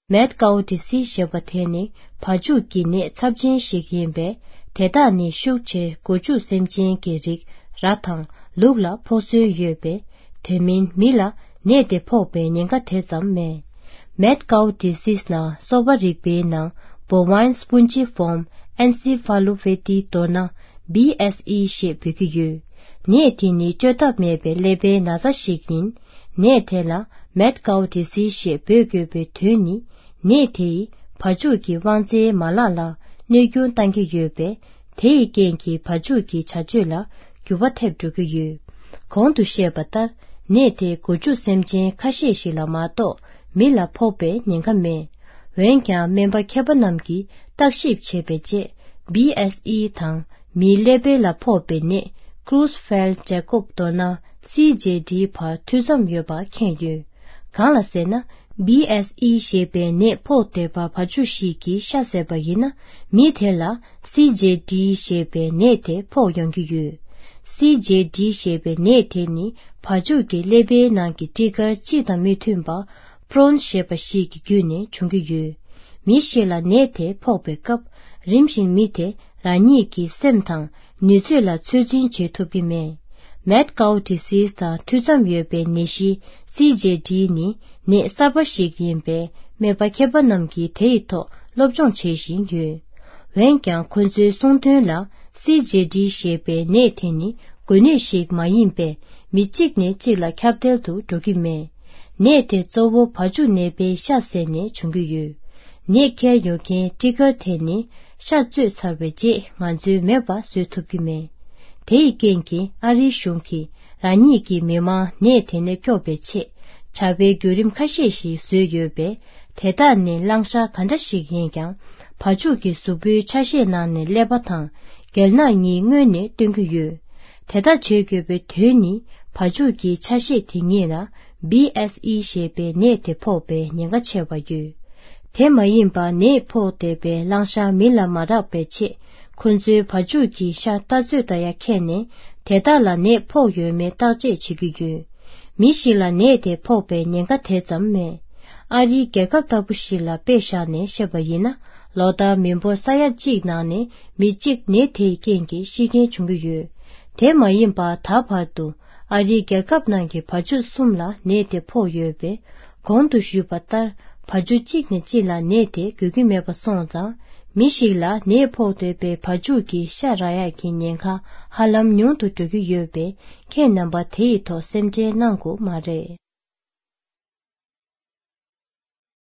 Met Gautisi Shabateni, Pajuki ne Sabjin Shikimbe, Tedani Shukche, Goju Semjin Girik, Ratang, Lugla Posu Yube, Temin Mila, Ne de Pope Ninga Tesam me. Met Gautisi na, Sobarik be na, Bovine Spongiform, Encephalopathy Dona, BSE Shipikyu. Nietini Jotap mebe lebe Nasa Shikin, Nietela, Met Gautisi Shipikyu Tuni, Nieti, Pajuki Wanze Malala, Nyugyun Tangi Yube, Tei Genki Pajuki Chajula, Gyuvatep Jugu. Kondu Shebatar, Nete Goju Semjin Kashishi Lamato, Mila Pope Ningame. Wenkya member Kebanamki, Takship Chebeje, BSE Tang, Mi Lebe La Pope Ne, Cruzfeld Jacob Dona, CJD Pa Tuzam Yoba Kenyu. Kala Sena, BSE Shebe Ne Pote Pa Pajushiki Shaseba Yina, Mitela, CJD Shebe Nete Po Yongyu. CJD Shebe Nete Ni, Pajuki Lebe Nanki Tigger Chita Mitumba, Prawn Sheba Shiki Gune Chungu. Mishela Nete Pope Cup, Rimshin Mite, Raniki Semtang, Nuzula Tsujin Chetubime. Met Gautisi sta Tuzam Yobe Nishi, CJD ni, Ne Sabashik Yimbe, Meba Kebanamki Teito, Lobjong Cheshin Yu. Wenkyang Kunzu Songtun la, CJD Shebe Nete ni, Gune Shik Mayimbe, Michik ne Chila Captel tu Jogime. Nete Zobo Paju Nebe Shase ne Chungu. Neke Yoke Tigger Teni, Shatsu Sarveje, Manzu Meba Sutubime. Tei Genki, Ari Shunki, Raniki Mema Nete ne Kyobeche, Chabe Gyurim Kashishi Suyobe, Teda ne Langsha Kandashi Yengyang, Pajuki Subu Chashi na ne Lebatang, Gelna ni Ngune Dunguyu. Teda Chegyobe Tuni, Pajuki Chashi Tingina, BSE Shebe Nete Pobe Nyanga Cheba Yu. Tema Yimba Ne Po Debe Langsha Mila Marabe Che, Kunzu Pajuki Sha Tazuda Ya Kene, Tedala Ne Po Yu Me Taje Chigyu. Mishila Ne De Pobe Nyanga Tezam Me. Ari Gegab Tabushila Besha Ne Shebayina, Loda Mimbo Saya Jigna Ne, Mijik Ne Te Gengi Shige Chungu. Tema Yimba Tapardu, Ari Gegab Nangi Paju Sumla Ne De Po Yube, Kondu Shubatar, Pajujik ne Jila Ne De Gugimeba Sonza, Mishila Ne Po Debe Pajuki Sharaya Kinyenka, Halam Nyuntu Jugu Yobe, Ke Namba Teito Semje Nangu Mare.